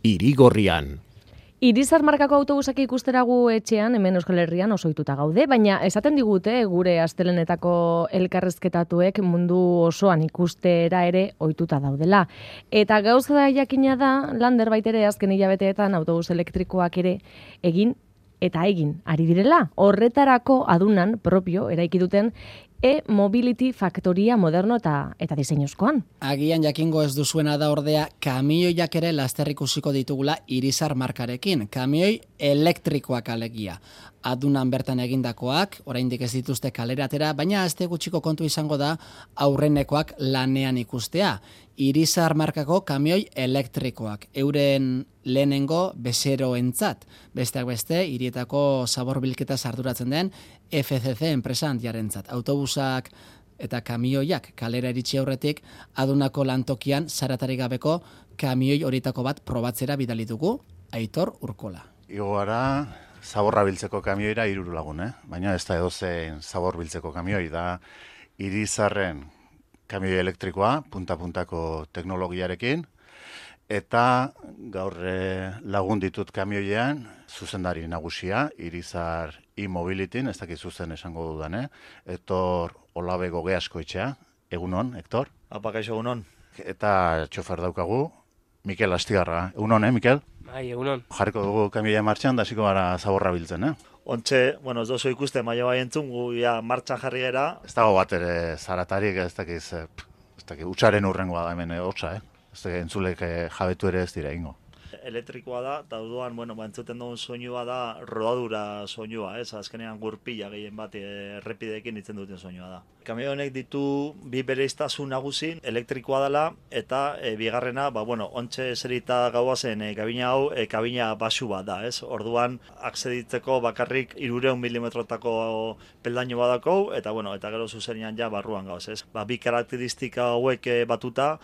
Irigorrian. Irizar markako autobusak ikustera gu etxean, hemen Euskal Herrian oso ohituta gaude, baina esaten digute gure astelehenetako elkarrezketatuek mundu osoan ikustera ere ohituta daudela. Eta gauza jakina da, Lander baitere azken hilabeteetan autobus elektrikoak ere egin ari direla. Horretarako adunan propio eraiki duten e-mobility faktoria moderno eta diseinuzkoan. Agian jakingo ez duzuena da ordea, kamioiak ere laster ikusiko ditugula Irizar markarekin. Kamioi elektrikoak alegia. Adunan bertan egindakoak, oraindik ez dituzte kalera atera, baina aste gutxiko kontu izango da aurrenekoak lanean ikustea. Irizar markako kamioi elektrikoak, euren lehenengo bezeroentzat. Besteak beste, hirietako zabor bilketa arduratzen den FCC enpresa handiarentzat. Autobusak eta kamioiak kalera iritsi aurretik, adunako lantokian zaratarik gabeko kamioi horietako bat probatzera bidali dugu, Aitor Urkola. Igo gara zaborra biltzeko kamioira 3 lagun, baina ez da edozein zabor biltzeko kamioi, da Irizarren kamioi elektrikoa, punta-puntako teknologiarekin, eta gaur lagun ditut kamioian, zuzendari nagusia, Irizar e-mobilityn, ez dakit zuzen esango dudan, Hector Olabe Gogeasko etxea, egunon, Hector? Apakaixo, egunon. Eta txofer daukagu, Mikel Astigarra, egunon, Mikel? Bai, egunon. Jarriko dugu kamioia martxan, da hasiko gara zaborra biltzen, Ontxe, ez dozu ikuste maila bai entzun, gu ja martxan jarri gera. Ez dago bat ere zaratarik, ez dakiz, utxaren urrengoa da hemen hotza, Ez dakiz, entzulek jabetu ere ez dira ingo. Elektrikoa da, eta orduan, entzuten dugun soinua da rodadura soinua, azkenean gurpila gehien bat errepideekin itzen duten soinua da. Kamio honek ditu bi bereiztasun nagusi, elektrikoa dela, eta bigarrena, ontxe eserita gauazen kabina hau, kabina basu bat da, Orduan, akseditzeko bakarrik 300 milimetrotako peldaino badako, eta gero zuzenean ja barruan gauz, Bi karakteristika hauek batuta,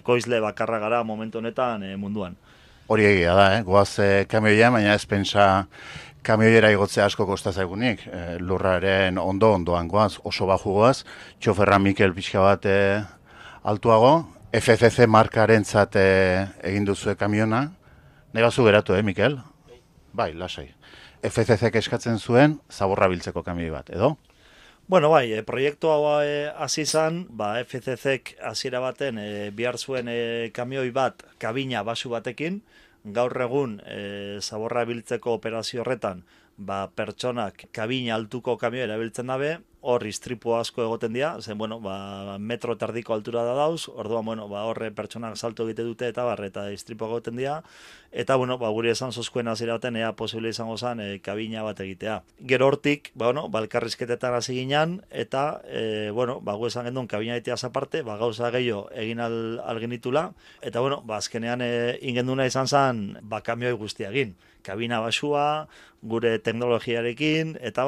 koizle bakarra gara momentu honetan munduan. Hori egia da, goaz kamioia, baina ez pentsa kamioiera igotzea asko kostazaigunik. Lurraren ondoan goaz, oso baju goaz, txoferra Mikel pixka bat altuago, FCC markarentzat egin duzue kamiona. Nahi bazu geratu, Mikel? Bai, lasai. FCC eskatzen zuen zaborra biltzeko kamioi bat, edo? Proiektu hau hasi izan, FCC-ek hasiera baten bihar zuen kamioi bat kabina basu batekin, gaur egun zaborra biltzeko operazio horretan, pertsonak kabina altuko kamioa erabiltzen dabe, hor istripu asko egoten dira, metro eta erdiko altura da dauz, orduan, horre pertsonak salto egite dute eta istripu egoten dira, eta, guri esan zozkuen hasiera baten, posible izango zen kabina bat egitea. Gero hortik, elkarrizketetan hasi ginen, eta, gu esan gendun kabina egitea aparte, gauza gehiago egin algenitula, eta, azkenean ingenduna izan zen, kamioi guztia egin. Kabina basua, gure teknologiarekin, eta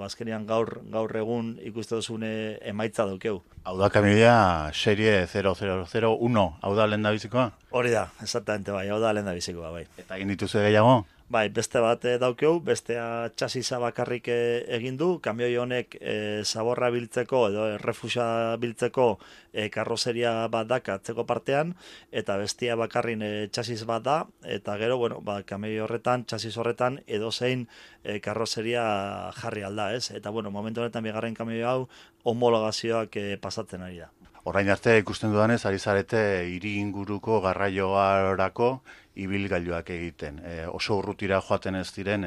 azkenean gaur egun ikuste duzune emaitza daukeu. Hau da kamioia serie 0001, hau da lehen da bizikoa? Hori da, exactamente, hau da lehen da bizikoa, bai. Eta egin dituzu gehiago? Bai, beste bat daukeu, bestea txasisa bakarrik egin du, kamioi honek zaborra biltzeko edo errefusa biltzeko karrozeria bat daka atzeko partean, eta bestia bakarrin txasis bat da, eta gero, kamioi horretan, txasis horretan, edozein karrozeria jarri alda, Eta, momentu honetan bigarren kamioi hau homologazioak pasatzen ari da. Orain arte ikusten dudanez, ari zarete hiri inguruko garraioarako ibilgailuak egiten. Oso urrutira joaten ez diren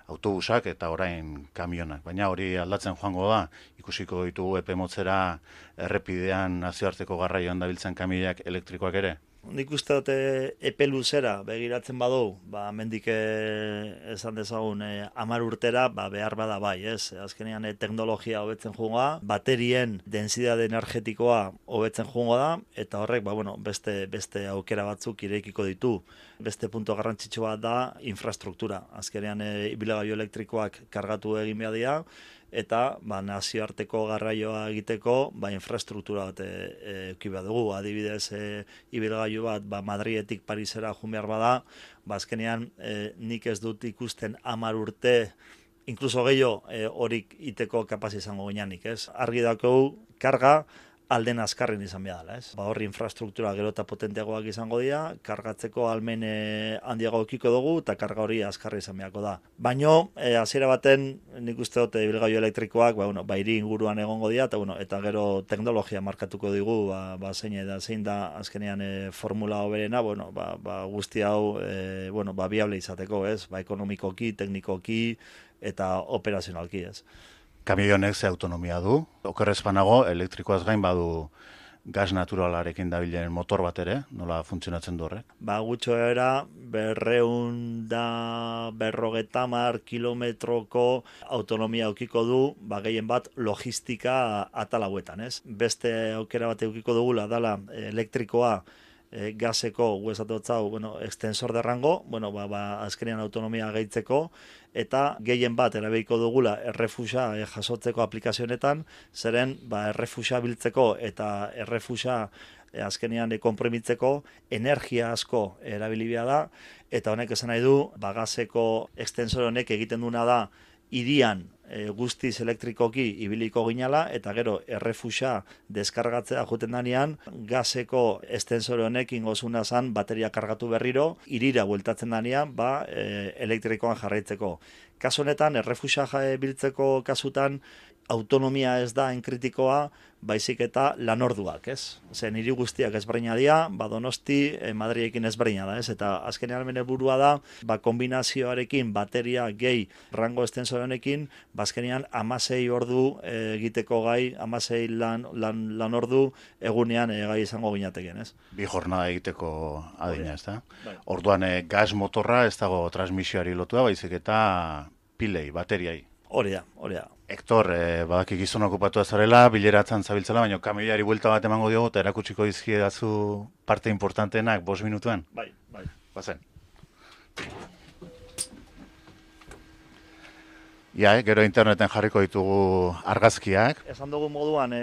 autobusak eta orain kamionak. Baina hori aldatzen joango da, ikusiko ditugu epe motzera errepidean nazioarteko garraioan dabiltzen kamioiak elektrikoak ere. Nik uste dute epe luzera begiratzen badu, mendik esan dezagun 10 urtera, behar bada bai, Azkenean teknologia hobetzen joango da, baterien densidade energetikoa hobetzen joango da, eta horrek, beste aukera batzuk irekiko ditu. Beste punto garrantzitsu bat da infrastruktura. Azkenean ibilgailu elektrikoak kargatu egin behar dira, eta nazioarteko garraioa egiteko infrastruktura bat eduki behar dugu. Adibidez, ibilgailu bat Madridetik Parisera joan behar bada, azkenean nik ez dut ikusten 10 urte, inkluso gehiago horik iteko kapaz izango gineanik, Argi daukagu karga alden azkarren izan behar dela, ez? Ba, horri infrastruktura gero eta potenteagoak izango dira, kargatzeko almen handiago ekiko dugu, eta karga hori azkarri izan beharko da. Baino, hasiera baten, nik uste dut ibilgailu elektrikoak, hiri inguruan egongo dira, eta gero teknologia markatuko digu, zein da azkenean formula hoberena, guzti hau, viable izateko, ez? Ekonomikoki, teknikoki, eta operazionalki, ez? Kamioi honek ze autonomia du, okerrez banago, elektrikoaz gain badu gas naturalarekin dabilen motor bat ere, nola funtzionatzen du horrek? Gutxo era 250 kilometroko autonomia aukiko du, gehien bat logistika atal hauetan, ez? Beste aukera bat eukiko dugula dala elektrikoa gaseko, extensor derrango, azkenean autonomia gehitzeko, eta gehien bat erabeiko dugula errefusa jasotzeko aplikazionetan, zeren errefusa biltzeko eta errefusa azkenean konprimitzeko energia asko erabilibia da, eta honek esan nahi du, gaseko extensor honek egiten duna da, irian guztiz elektrikoki ibiliko ginala, eta gero errefusa deskargatzea juten danean, gaseko estensore honek ingozuna zan bateria kargatu berriro, irira bueltatzen danean, elektrikoan jarraitzeko. Kasu honetan, errefusa biltzeko kasutan, autonomia ez da enkritikoa, baizik eta lanorduak, ez? Zer, niri guztiak ezberdina dira, Donosti, Madrilekin ezberdina da, ez? Eta azkenean helburua da, kombinazioarekin bateria gehi rango estensore honekin, azkenean 16 ordu egiteko gai, 16 lan ordu egunean gai izango ginateken, ez? Bi jornada egiteko adina, ez da? Orduan gas motorra ez dago transmisioari lotua, baizik eta pilei, bateriai. Hori da. Hector, badaki gizon okupatu azarela, bileratzen zabiltzela, baina kamioiari buelta bat emango diogu, eta erakutsiko dizkiedazu parte importanteenak 5 minutuan. Bai. Bazen. Gero interneten jarriko ditugu argazkiak. Esan dugu moduan,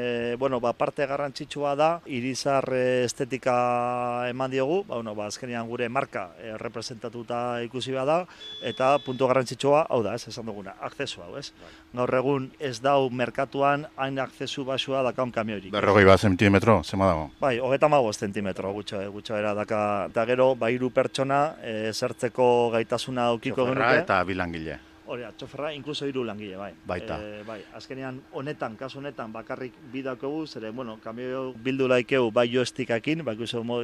parte garrantzitsua da, irizar estetika eman diogu, azkenean gure marka representatuta ikusi da, eta puntu garrantzitsua, hau da, esan duguna, akzesua, ez? Gaur egun ez dau merkatuan hain akzesu basua dakaun kamioirik. 40 zentimetro, zema dago? Bai, 35 zentimetro gutxo era daka, eta gero, 3 pertsona zertzeko gaitasuna aukiko genuke. Txoferra eta bilangile. Hori, txoferra, inkluso 3 langile, bai. Baita. Azkenean, kasu honetan, bakarrik bidakogu, zere, kamio bildu laikeu bai joestikakin,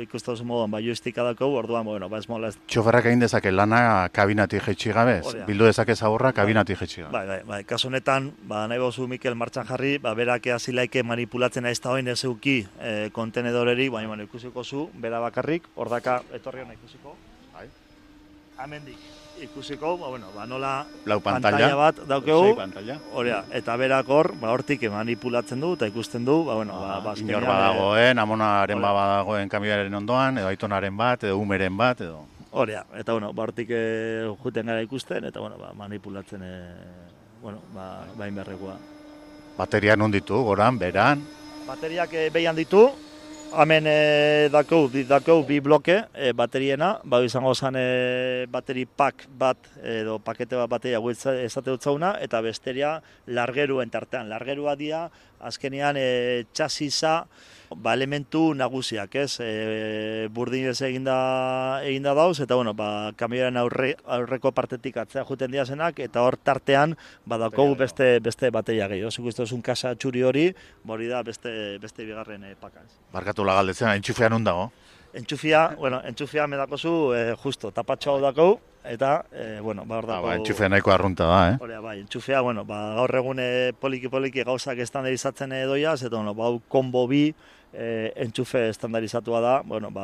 ikustazu moduan bai joestika dakogu, orduan, ez mola ez. Txoferrak egin dezake lana kabinatik jetxi gabe, bildu dezake zaborra kabinatik jetxi gabe. Bai, kasu honetan, nahi bozu Mikel martxan jarri, berak eazilaike manipulatzen ez da hoin ez euki kontenedoreri, baina ikusiko zu, bera bakarrik, ordaka etorri hona ikusiko. Bai. Amendik. Ikusiko, nola pantalla bat daukegu, Horea, eta berak hortik manipulatzen du, eta ikusten du, inor badagoen, amonaren badagoen kamioaren ondoan, edo aitonaren bat, edo umeren bat, edo... Horea, eta hortik juten gara ikusten, eta manipulatzen, bain berrekoa. Bateria non ditu, goran, beran? Bateriak behian ditu, hemen dakau 2 bloke bateriena, izango zen bateri pak bat edo pakete bat bateria esate dutzauna, eta besteria largeruen tartean. Largerua dia, azkenean txasisa elementu nagusiak, ez? Burdinez eginda dauz, eta kamioaren aurreko partetik atzea juten diazenak, eta hor tartean badaukogu beste bateria gehiago. Zuk iztozun kasa txuri hori, hori da beste bigarren pakaz. Barkatu lagaldetzen, entxufea non dago? Entxufea medakozu justo, tapatxo hau dakau, eta, hor dago... Entxufea nahiko arrunta da, Hori, entxufea, gaur egun poliki gauzak estandarizatzen doiaz, eta, hau konbo bi entxufe estandarizatua da,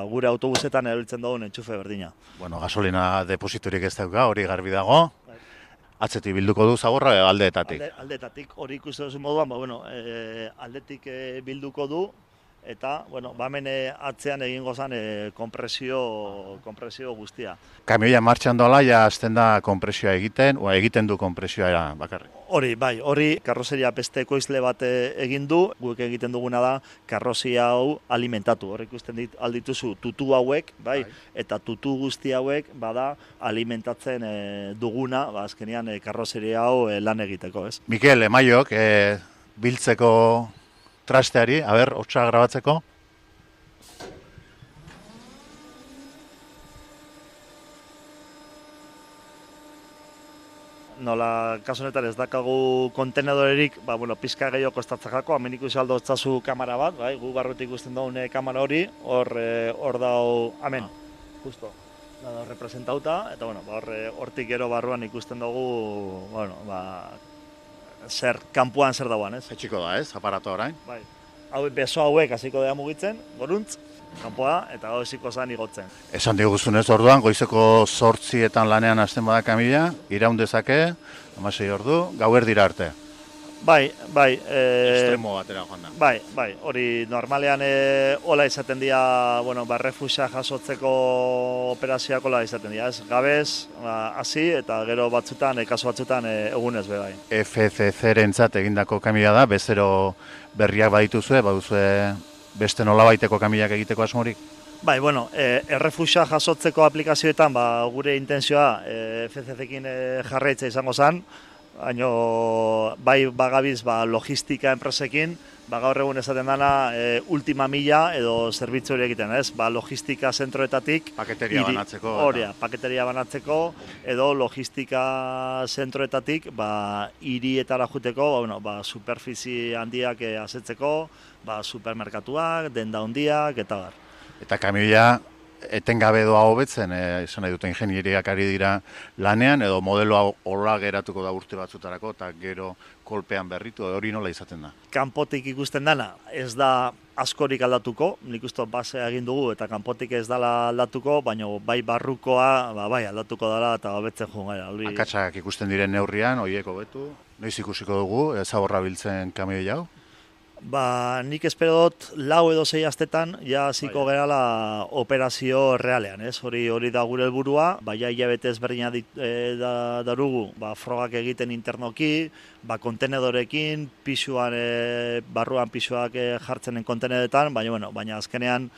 gure autobusetan erabiltzen dugun entxufe berdina. Gasolina depositorik ez dauka, hori garbi dago. Atzetik bilduko du zaborra aldeetatik? Aldeetatik, hori ikusten duzu moduan, aldetik bilduko du, eta, hemen atzean egingo zen kompresio guztia. Kamioia martxan doala, ja azten da kompresioa egiten du kompresioa bakarrik. Hori karrozeria beste ekoizle bat egin du, guk egiten duguna da karrozia hau alimentatu. Hor ikusten aldituzu tutu hauek, eta tutu guzti hauek bada alimentatzen duguna, azkenean karrozeria hau lan egiteko, ez? Mikel, emaiok, biltzeko trasteari, hotsa grabatzeko. Nola, kasu honetan ez dakagu kontenedorerik, pizka gehiago kostatzakako, hemen ikusi aldo otzazu kamera bat, bai, gu barrutik ikusten daun kamera hori, hor dau, hemen, justo, da representauta, eta hortik gero barruan ikusten dugu, zer, kanpoan zer dauan, ez? Etxiko da, ez, aparato orain? Bai, beso hauek hasiko dira mugitzen, goruntz, kanpoa, eta hasiko zan igotzen. Esan diguzunez orduan, goizeko 8etan lanean hasten bada kamioia, iraun dezake, 16 ordu, gauerdira arte. Bai. Extremo batera joan da. Bai, hori normalean hola izaten dira, refusa jasotzeko operazioak hola izaten dira, ez? Gabez, hasi, eta gero batzutan, kasu batzutan, egunez be bai. FCC-rentzat egindako kamioia da, bezero berriak badituzue, baduzue beste nolabaiteko kamioiak egiteko asmorik? Bai, errefusa jasotzeko aplikazioetan, gure intentzioa FCC-ekin jarraitza izango zen, baina bai bagabiz logistika enpresekin, gaur egun esaten dana ultima mila edo zerbitzu hori egiten, ez? Logistika zentroetatik paketeria banatzeko. Horia, paketeria banatzeko edo logistika zentroetatik hirietara juteko, superfizi handiak asetzeko, supermerkatuak, denda handiak eta bar. Eta kamioia etengabe doa hobetzen, esan nahi dute ingenieriak ari dira lanean, edo modeloa horra geratuko da urte batzutarako, eta gero kolpean berritu, hori nola izaten da? Kanpotik ikusten dana, ez da askorik aldatuko, nik uste basea egin dugu, eta kanpotik ez dala aldatuko, baina bai barrukoa, bai aldatuko dela, eta hobetzen joan gara. Akatsak ikusten diren neurrian, horiek hobetu, noiz ikusiko dugu, zaborra biltzen kamioi hau? Nik espero dut 4 edo 6 astetan ja hasiko gerala operazio realean, ez? Hori da gure helburua, ja hilabete ezberdina darugu, frogak egiten internoki, kontenedorekin, pisuan barruan pisuak jartzenen kontenedetan, baina azkenean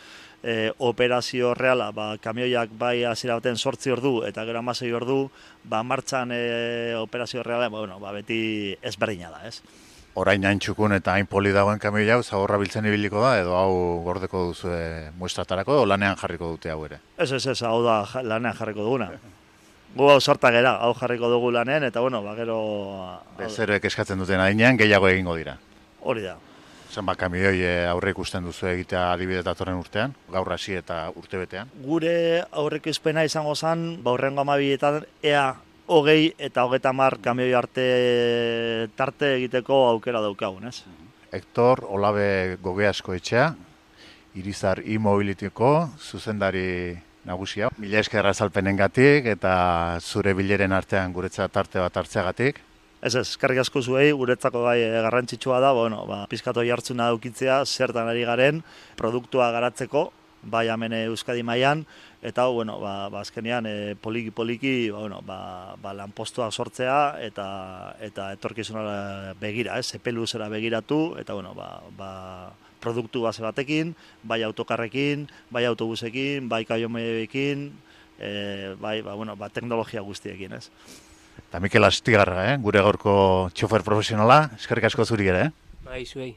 operazio reala, kamioiak bai hasiera baten 8 ordu eta gero 16 ordu, martxan operazio reala, beti ezberdina da, ez? Orain hain txukun eta hain poli dagoen kamioi hau, zaborra biltzen ibiliko da, edo hau gordeko duzu muestratarako, edo lanean jarriko dute hau ere? Ez, hau da lanean jarriko duguna. Gu hau sorta gera, hau jarriko dugu lanean, eta gero... Bezeroek eskatzen duten adinean, gehiago egingo dira. Hori da. Zenbat kamioi aurre ikusten duzu egitea adibidez datorren urtean, gaur hasi eta urtebetean? Gure aurreko izpena izango zen, hurrengo 12etan, ea 20 eta 30 kamioi arte tarte egiteko aukera daukagun, ez? Hector Olabe Gogeasko etxea, Irizar e-mobilityko zuzendari nagusia. Mila esker azalpenengatik eta zure bileren artean guretzat tarte bat hartzeagatik. Ez, eskerrik asko zuei, guretzako bai garrantzitsua da, pizkato jartzuna daukitzea, zertan ari garen, produktua garatzeko, bai hemen Euskadi mailan, eta azkenean poliki-poliki lanpostuak sortzea eta etorkizunera begira, epe luzera begiratu, eta produktu base batekin, bai autokarrekin, bai autobusekin, bai kamioiekin, bai teknologia guztiekin, ez? Eta Mikel Astigarra, gure gaurko txofer profesionala, eskerrik asko zuri ere, Bai, zuei.